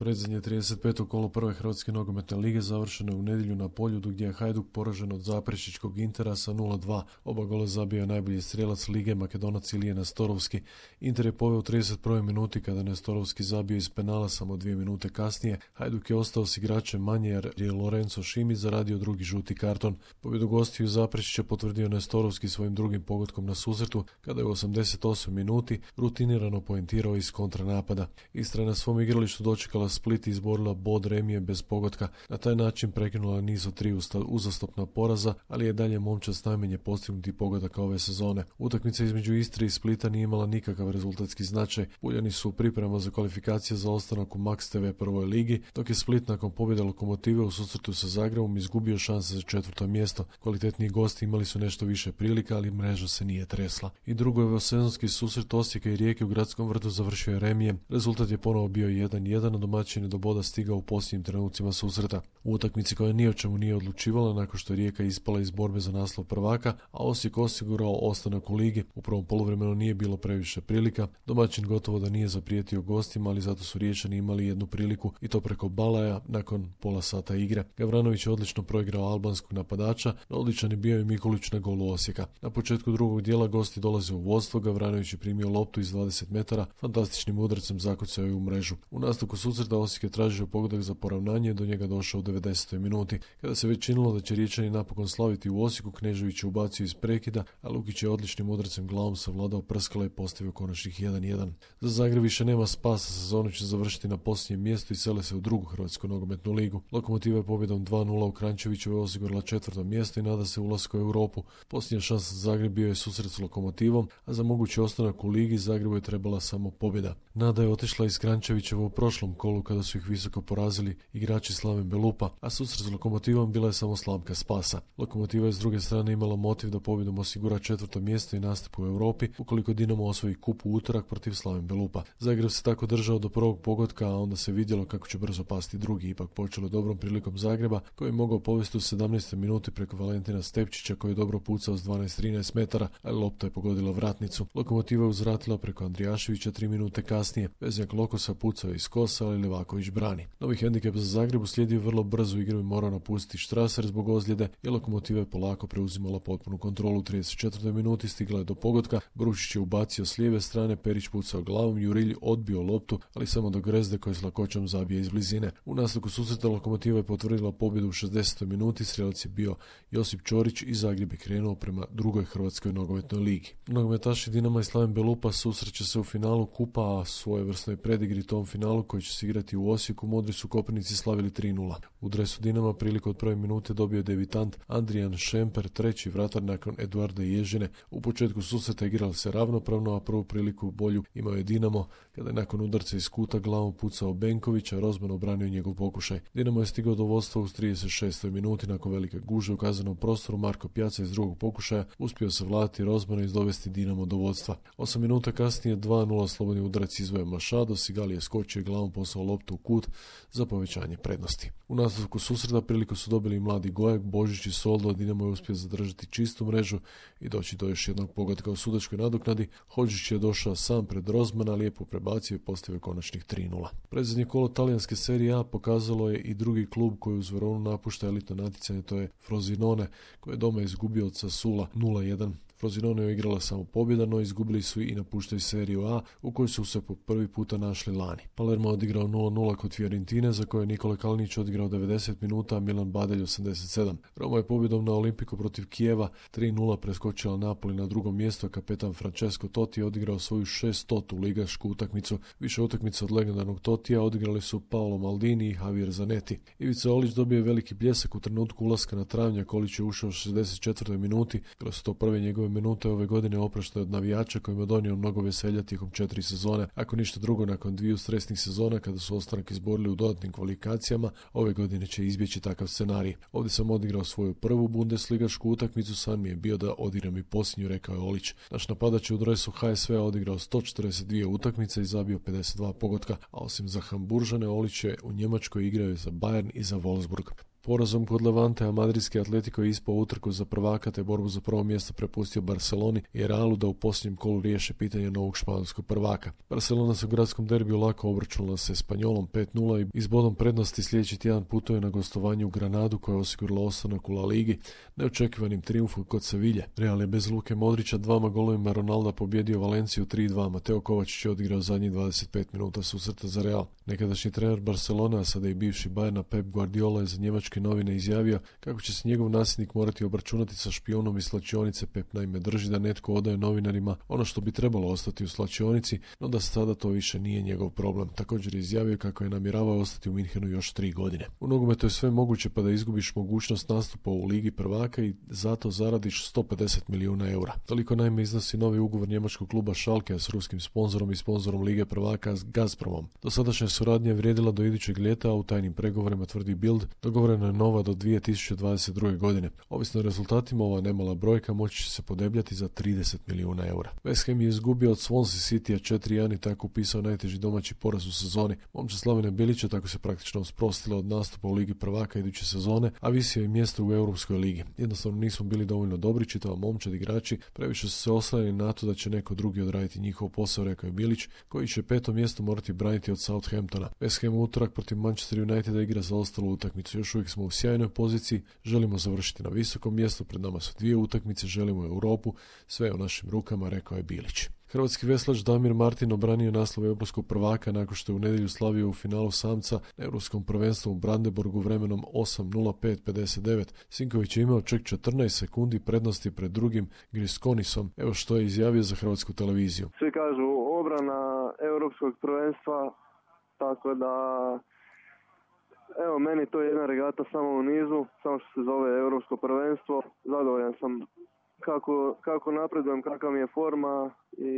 Predzadnje 35. kolo prve Hrvatske nogometne lige završeno je u nedjelju na Poljudu gdje je Hajduk poražen od Zaprešićkog Intera sa 0-2. Oba gola zabio je najbolji strijelac lige Makedonac Ilije Nestorovski. Inter je poveo u 31. minuti kada Nestorovski zabio iz penala samo 2 minute kasnije. Hajduk je ostao s igračem manje jer je Lorenzo Šimić zaradio drugi žuti karton. Pobjedu gostiju Zaprešića potvrdio Nestorovski svojim drugim pogodkom na susretu kada je u 88 minuti rutinirano poentirao iz kontranapada. Istra je na svom igralištu dočekala Split i izborila bod remije bez pogotka. Na taj način prekinula niz od 3 uzastopna poraza, ali je dalje momčad najmanje postignuti pogodaka ove sezone. Utakmica između Istre i Splita nije imala nikakav rezultatski značaj. Puljani su u pripremama za kvalifikacije za ostanak u Max TV prvoj ligi, dok je Split nakon pobjede Lokomotive u susretu sa Zagrebom izgubio šanse za 4. mjesto. Kvalitetniji gosti imali su nešto više prilika, ali mreža se nije tresla. I drugo sezonski susret Osijeka i Rijeke u Gradskom vrtu završio je remijem. Rezultat je ponovo bio 1-1, a domaćin je do boda stigao u posljednjim trenucima susreta. U utakmici koja ni o čemu nije odlučivala nakon što je Rijeka ispala iz borbe za naslov prvaka, a Osijek osigurao ostanak u ligi. U prvom poluvremenu nije bilo previše prilika. Domaćin gotovo da nije zaprijetio gostima, ali zato su Riječani imali jednu priliku i to preko Balaja nakon pola sata igre. Gavranović je odlično proigrao albanskog napadača, no odličan je bio i Mikulić na golu Osijeka. Na početku drugog dijela gosti dolaze u vodstvo, Gavranović je primio loptu iz 20 metara, fantastičnim udarcem zakucao je u mrežu. U nastavku susreta Osijek je tražio pogodak za poravnanje, do njega došao u 90. minuti. Kada se već činilo da će Riječani napokon slaviti u Osijeku, Knežević je ubacio iz prekida, a Lukić je odličnim udarcem glavom savladao prskala i postavio konačnih 1-1. Za Zagreb više nema spasa, sezonu će završiti na posljednjem mjestu i sele se u drugu Hrvatsku nogometnu ligu. Lokomotiva je pobjedom 2-0 u Kranjčevićevoj osigurala 4. mjesto i nada se ulasku u Europu. Posljednja šansa za Zagreb bio je susret s Lokomotivom, a za mogući ostanak u ligi Zagrebu je trebala samo pobjeda. Nada je otišla iz Kranjčevićeva u prošlom kolu kada su ih visoko porazili igrači Slaven Belupa, a susret s Lokomotivom bila je samo slamka spasa. Lokomotiva je s druge strane imala motiv da pobjedom osigura 4. mjesto i nastup u Europi ukoliko Dinamo osvoji kup u utorak protiv Slaven Belupa. Zagreb se tako držao do prvog pogotka, a onda se vidjelo kako će brzo pasti drugi. Ipak počelo dobrom prilikom Zagreba koji je mogao povesti u 17. minuti preko Valentina Stepčića koji je dobro pucao s 12-13 metara, ali lopta je pogodila vratnicu. Lokomotiva je uzvratila preko Andrijaševića 3 minute kasnije. Veznjak Lokosa pucao iz kosa, ali Levaković brani. Novi hendikep za Zagreb uslijedio vrlo brzo igru i morao napustiti Štraser zbog ozljede i Lokomotiva je polako preuzimala potpunu kontrolu. U 34. minuti stigla je do pogotka, Brušić je ubacio s lijeve strane, Perić pucao glavom, Jurilj odbio loptu, ali samo do Grezde koji s lakoćom zabije iz blizine. U nastavku susreta Lokomotiva je potvrdila pobjedu u 60. minuti, strijelac je bio Josip Ćorić i Zagreb je krenuo prema drugoj Hrvatskoj nogometnoj ligi. Nogometaši Dinama i Slaven Belupa susreće se u finalu kupa, a svojevrsnoj predigri tom finalu koji će se igrati u Osijeku modri su Koprivnici slavili 3-0. U dresu Dinama priliku od prve minute dobio je debitant Andrijan Šemper, treći vratar nakon Eduarda Ježine. U početku susreta igrali se ravnopravno, a prvu priliku bolju imao je Dinamo kada je nakon udarca iz kuta glavom pucao Benković, a Rozman obranio njegov pokušaj. Dinamo je stigao do vodstva u 36. minuti nakon velike gužve u kaznenom prostoru. Marko Pjaca iz drugog pokušaja uspio se vladati Rozmana i dovesti Dinamo do vodstva. 8 minuta kasnije 2-0 slobodni udarac izvoja Mašado, Sigali je skočio glavom, poslao loptu u kut za povećanje prednosti. U nastavku susreta priliku su dobili i mladi Gojak, Božić i Soldo, Dinamo je uspio zadržati čistu mrežu i doći do još jednog pogotka u sudačkoj nadoknadi. Hodžić je došao sam pred Rozmana, lijepo prebacio i postavio konačnih 3-0. Predzadnje kolo talijanske serije A pokazalo je i drugi klub koji uz Veronu napušta elitno natjecanje, to je Frosinone, koji je doma izgubio od Sassuola 0-1. Frosinone je igrala samo pobjeda, no izgubili su i napuštaju seriju A u kojoj su se po prvi puta našli lani. Palermo je odigrao 0-0 kod Fiorentine za koje je Nikola Kalinić odigrao 90 minuta, a Milan Badelj 87. Roma je pobjedom na Olimpiku protiv Kijeva 3-0 preskočila Napoli na drugom mjestu, a kapetan Francesco Totti je odigrao svoju 600. ligašku utakmicu. Više utakmica od legendarnog Tottija odigrali su Paolo Maldini i Javier Zanetti. Ivica Olić dobio je veliki bljesak u trenutku ulaska na travnjak. Olić je ušao u 64. minuti, bile su to prve njegove minute ove godine opraštaju od navijača kojima je donio mnogo veselja tijekom 4 sezone. Ako ništa drugo, nakon 2 stresnih sezona kada su ostanak izborili u dodatnim kvalifikacijama, ove godine će izbjeći takav scenarij. Ovdje sam odigrao svoju prvu bundesligašku utakmicu, san mi je bio da odigram i posljednju, rekao je Olić. Naš napadač je u dresu HSV-a odigrao 142 utakmice i zabio 52 pogotka, a osim za Hamburžane, Olić je u Njemačkoj igrao za Bayern i za Wolfsburg. Porazom kod Levantea madridski Atletico je ispao utrku za prvaka te borbu za prvo mjesto prepustio Barceloni i Realu da u posljednjem kolu riješe pitanje novog španjolskog prvaka. Barcelona se u gradskom derbiju lako obračunala se Espanjolom 5:0 i s bodom prednosti sljedeći tjedan putuje na gostovanje u Granadu koja je osigurala ostanak u La Ligi neočekivanim trijumfom kod Sevilje. Real je bez Luke Modrića 2 golovima Ronalda pobjedio Valenciju 3:2. Mateo Kovačić je odigrao zadnjih 25 minuta susreta za Real. Nekadašnji trener Barcelona, a sada i bivši Bayerna Pep Guardiola je za njemačke novine izjavio kako će se njegov nasljednik morati obračunati sa špijunom iz slačionice. Pep naime drži da netko odaje novinarima ono što bi trebalo ostati u slačionici, no da sada to više nije njegov problem. Također je izjavio kako je namjeravao ostati u Minhenu još 3 godine. U nogometu je sve moguće pa da izgubiš mogućnost nastupa u Ligi prvaka i zato zaradiš 150 milijuna eura. Toliko naime iznosi novi ugovor njemačkog kluba Schalke s ruskim sponzorom i sponzorom Lige prvaka s Gazpromom. Dosadašnja suradnja je vrijedila do idućeg ljeta, a u tajnim pregovorima, tvrdi Bild, dogovorena je nova do 2022. godine. Ovisno o rezultatima, ova nemala brojka moći će se podebljati za 30 milijuna eura. West Ham je izgubio od Swansea Citya 4:1 i tako upisao najteži domaći poraz u sezoni. Momčad Slavena Bilića tako se praktično sprostila od nastupa u Ligi prvaka iduće sezone, a visio je mjesto u Europskoj ligi. Jednostavno nismo bili dovoljno dobri, čitava momčad igrači, previše su se oslanjali na to da će neko drugi odraditi njihov posao, rekao je Bilić, koji će 5. mjesto morati braniti od Southamptona. West Ham utorak protiv Manchester Uniteda igra za ostalu utakmicu. Još uvijek smo u sjajnoj poziciji, želimo završiti na visokom mjestu, pred nama su 2 utakmice, želimo Europu, sve je u našim rukama, rekao je Bilić. Hrvatski veslač Damir Martin obranio naslov europskog prvaka nakon što je u nedjelju slavio u finalu samca na europskom prvenstvu u Brandenburgu vremenom 8:05:59. Sinković je imao čak 14 sekundi prednosti pred drugim Griskonisom. Evo što je izjavio za Hrvatsku televiziju. Svi kažu obrana europskog prvenstva, tako da evo, meni to je jedna regata samo u nizu, samo što se zove europsko prvenstvo. Zadovoljan sam kako napredujem, kakva mi je forma i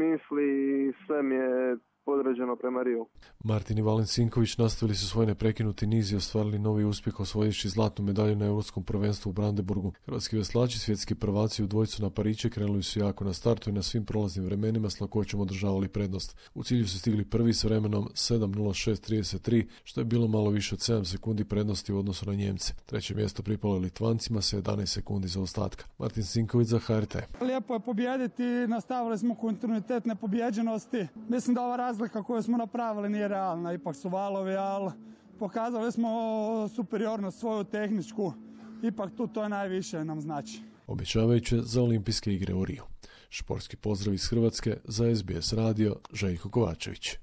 misli i sve mi je podređeno prema Riju. Martin i Valen Sinković nastavili su svoj neprekinuti niz i ostvarili novi uspjeh osvojivši zlatnu medalju na europskom prvenstvu u Brandenburgu. Hrvatski veslači, svjetski prvaci u dvojcu na Pariće, krenuli su jako na startu i na svim prolaznim vremenima s lakoćom održavali prednost. U cilju su stigli prvi s vremenom 7:06:33, što je bilo malo više od 7 sekundi prednosti u odnosu na Njemce. Treće mjesto pripalo je Litvancima sa 11 sekundi za ostatka. Martin Sinković za HRT. Lijepo je pobijediti, nastavili smo kontinuitet nepobjeđenosti. Mislim da ova razlika koju smo napravili nije realna, ipak su valovi, ali pokazali smo superiornost svoju tehničku, ipak tu to je najviše nam znači. Obećavajuće za olimpijske igre u Riju. Športski pozdrav iz Hrvatske za SBS radio, Željko Kovačević.